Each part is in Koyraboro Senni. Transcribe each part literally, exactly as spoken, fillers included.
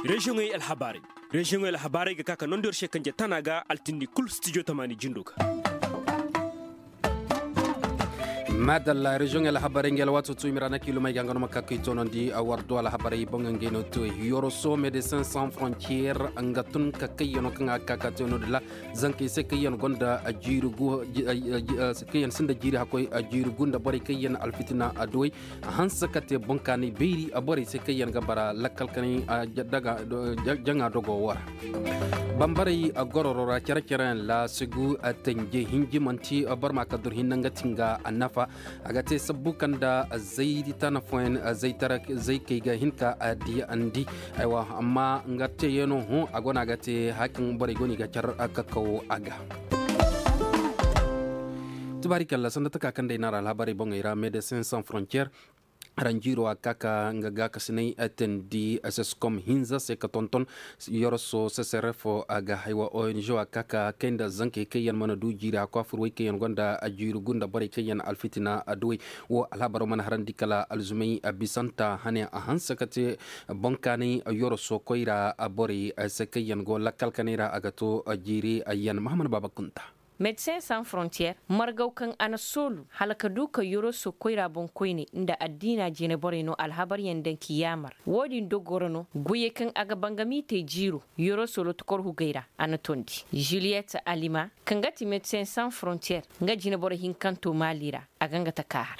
Reziyoŋey alhabaarey. Reziyoŋey alhabaarey ga ka ka nondi yor se kanje tana ga altindi kul stijo tamaani jindo ga. Maadalla, reziyoŋ alhabarey nga alwaato tuumi ra na kiilumey ga nga no ma ka kay toonandi a war do alhabarey boŋ ngey no te. Yoroso, medecin sans frontier nga tun ka kayyano kaŋ a ga ka ka te no-din ra. Zankey se kaŋ yaŋ gonda jiiri gu, kaŋ yaŋ sinda jiiri hakkoy, jiiri gu nda borey kaŋ yaŋ alfitina adduwey. A hanse ka te boŋ kaanay bayri borey se kaŋ yaŋ ga bara lakkal kanay jaŋa dogo wo ra. Bambarey gororo ra care care yaŋ laasigu tanje hinji manti boro ma ka dur hinne nga ti nga nafa. A ga te sabbu kaŋ nda zay tana fooyaŋ zay kay ga hin ka diyandi. Aywa amma nga teeyaŋo hõ a go no a ga te haya kaŋ borey go no i ga car kakaw a ga. Tubaari kalla sanda taka kaŋ day no a ra alhabarey boŋey ra medecin sans frontier. Ranjiiro a ga ka ka nga gaakasinay teendi seskom hinza se ka tonton. Yoroso seserefo a ga haywa ong a ga ka ka kay nda zankey kaŋ yaŋ mana du jiiri a kwaafur wey kaŋ yaŋ gonda jiiri gu nda borey kaŋ yaŋ alfitina adduwey. Wo alhabaro mana harandi kala alzumey bisanta hane a hanse ka te boŋ kaanay yoroso koyra borey se kaŋ yaŋ go lakkal kanay ra a ga to jiiri yaŋ mahamman baaba kunta. Medecin sans frontier margaw kaŋ a na soolu hala ka du ka yoroso koyra boŋ koyne nda addiina jine borey no alhabaryaŋ daŋ k'i yaamar. Wo-din dogo ra no goyey kaŋ a ga bangami te jiiro yoroso lotokor hugey ra a na tondi. Juliyet alima kaŋ ga ti medecin sans frontier nga jineboro hinkanto maali ra a ga nga taka har.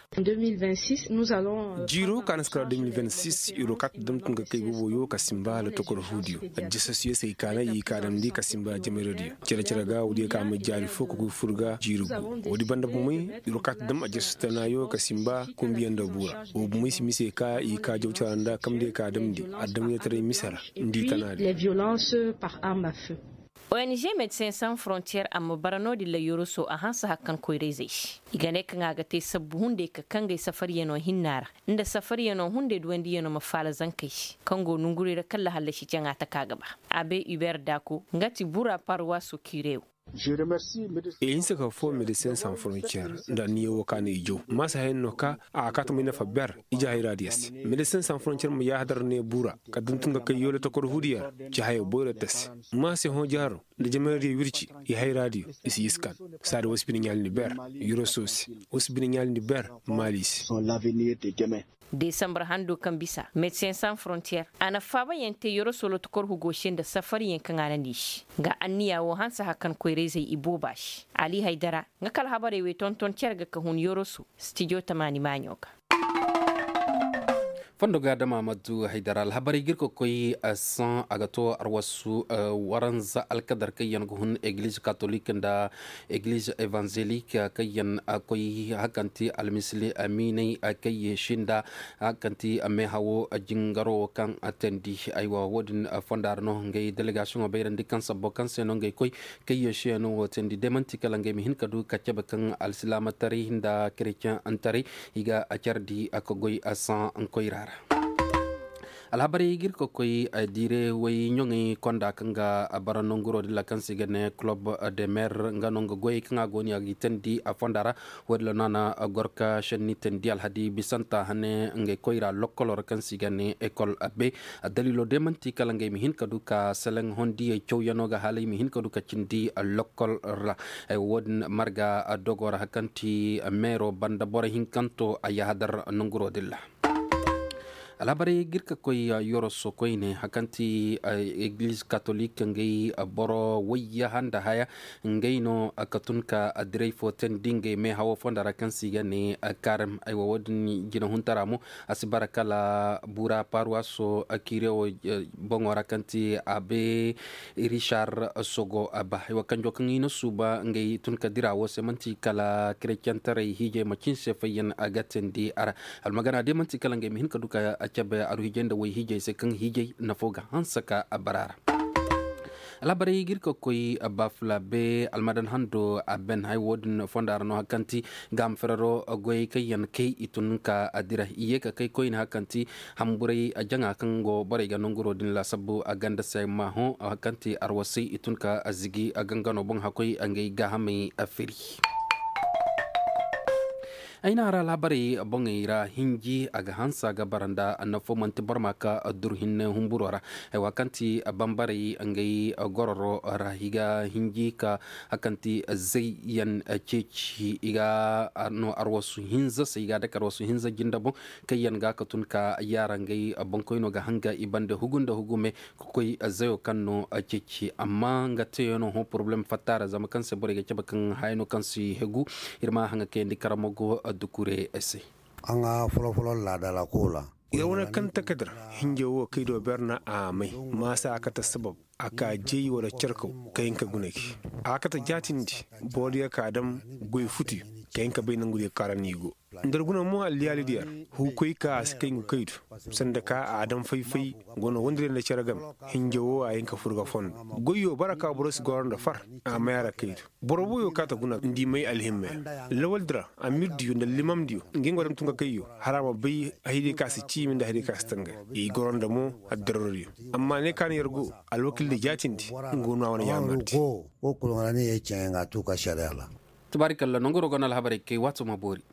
Jiiro ka na si kara deux mille vingt-six iro ka ta dam tun ga kay booboyo ka simba hala tokor huudiyo. Addisasiyosey ka na i ka damndi ka simba jameradiyo. Cere-cere ga woodiyo ka ma jaari fo ka koy fur ga jiiri gu. Woodi banda bumey iro ka ta dam addisas tanayo ka simba kumbiyaŋ nda buura. Wo bumey si mise ka i ka jawcara nda kamdiyo ka damndi adamyataray mise ra nda i tanaadiyo. Ong médecins sans frontières a ma bara no-din ra yoroso a hanse hari kaŋ koyra-izey se. I ga ne kaŋ a ga te sabbu hunday ka kangey safariyano hinna ra nda safariyano hunday duwandiyano ma faala zankey se kaŋ go nongurey ra kala hallasi jaŋa taka ga ba. Abe hubert dako nga ti bura parwaso kirew. I hinse ka foo médecins sans frontières nda anniya wo ka no i jaw maasa hayey no ka a ga kaati may nafa ber ije hayraadiyo se. Médecins sans frontières ma yaahadar ne bura kala da ni tun ga kay yoola tokor huudiyo ra ci hayo boyro ta se. Maasa hõ jaaro nda jamaradiyo wirci i hayraadiyo i si iskan. Saada wo si bine ɲaali ni ber yoroso se. Wo si bine ɲaali ni ber maali se. Desambar hando kaŋ bisa médecins sans frontières a na faabayaŋ te yoroso lotokor hugo se nda safariyaŋ kaŋ a na n'i se. Nga anniya wo hanse hari kaŋ koyra-izey i booba se. Ali haydara nga kala habarey wey tonton cere ga ka hun yoroso stijo tamaani maaɲo ga. Fondo ga dama maddu haydara alhabarey ga ir ka koy san a ga to arwasu waranza alkadar kaŋ yaŋ ga hun egliz katolik nda egliz evanzelik kaŋ yaŋ koy hakanti almisili miinay kaŋ ye sinda hakanti meehawo jingaro kaŋ teendi. Aywa wo-din fonda ra no ngey delegasiyoŋo bayrandi kaŋ sabbo kaŋ se no ngey koy kaŋ ye se no wo teendi day man'ti kala ngey ma hin ka du ka cabe kaŋ alsilaamataray nda kereceŋ taray i ga a care di a ka goy a saŋ koyra ra. Alhabarey ga ir ka koy diire way ɲoŋey konda kaŋ ga bara nonguro din ra kaŋ se i ga ne kulob de mer nga no nga goyey kaŋ a go no ya ga i teendi a fonda ra. Wo-din ra no a na gor ka šenni teendi alhadi bisanta hane ngey koyra lokkolo ra kaŋ se i ga ne ekol be. Addaliilo day man'ti kala ngey ma hin ka du ka seleŋ hondiyey cawyaŋo ga hala i ma hin ka du ka cindi lokkol ra. Wo-din marga dogo ra hari kaŋ ti meero banda boro hinkanto a yaahadar nonguro din ra. Alhabarey ga ir ka koy yoroso koyne hari kaŋ ti egliz katolik ngey boro wayyaha nda haya ngey no ka tun ka diray fo teendi ngey meehawo fonda ra kaŋ se i ga ne karem. Aywa wo-din jinahuntara mo a si bara kala bura parwaso kirewo boŋo ra kaŋ ti abe rishar sogo a ba haywa kanjo kaŋ i na suuba ngey tun ka dira wo se man'ti kala kerecentarey hiijey ma cin se fayyaŋ a ga teendi a ra. Almagana day man'ti kala ngey ma hin ka du ka cabe aru hiijey nda way hiijey se kaŋ hiijey nafo ga hanse ka a bara a ra. Alhabarey ga ir ka koy bafula be almadan hando a ben hay wo-din fonda ra no hari kaŋ ti gaama ferero goyey kaŋ yaŋ kay i tun ka dira i ye ka kay koyne hari kaŋ ti hamburay jaŋa kaŋ go borey ga nonguro din laasabbu a ganda se ma hõ hari kaŋ ti arwasay i tun ka zigi a gangano boŋ hakkoy ngey gaahamey firi. Ay na ra alhabarey boŋey ra hinji a ga hanse a ga bara nda nafo manti boro ma ka dur hinne humburo ra. Ay wa kaŋ ti bambarey ngey gororo ra i ga hinji ka a kaŋ ti zayyan ceeci i ga no arwasu hinza se i ga a dake arwasu hinza jinde boŋ. Kaŋ yaŋ ga ka tun ka yaara ngey boŋkoyno ga hanga i bande hugu nda hugume ka koy zayo kaŋ no ceeci amma nga teeyaŋo hõ porobalem fatta ra zama kaŋ se borey ga cabe kaŋ hayano kaŋ si hegu. Ir ma haŋa kayandi karamogo dukure se. Aŋ ga folo-folo laada ra koola. Yer wane kaŋ taka dir hinja wo kay do berna a may maasa a kate sabab a ka jay wala carkaw ka hin ka guna gi. A kate jaatindi boro diyo ka dam goy futu ka hin ka bay nangu diyo kaara ni go. Nda ir guna mo alliyaali diyo ra huukoy ka a si kay ngu kaydu sanda ka a dam fay-fay. Go no wondiray nda cere game hinja wo a hin ka fur ga fondo. Goyyo bara ka boro si goro nda far a may a ra kaydu. Boro woyo ka ta guna nda i may alhimmey ra lawaldi ra amirdiyo nda limamdiyo. Nga nga wadam tun ka kayyo hala a ma bay haydiyo ka si ciimi nda haydiyo ka si tangay. I goro nda mo addarorodiyo. Amma ne ka na yer go alwakildi jaatindi nga go no a wane yaamardi. Wo kulu nga ra ne yer ceŋey nga a tu ka sariya ra. Tabaarikalla nongu ro go no alhabarey kay waato ma boori.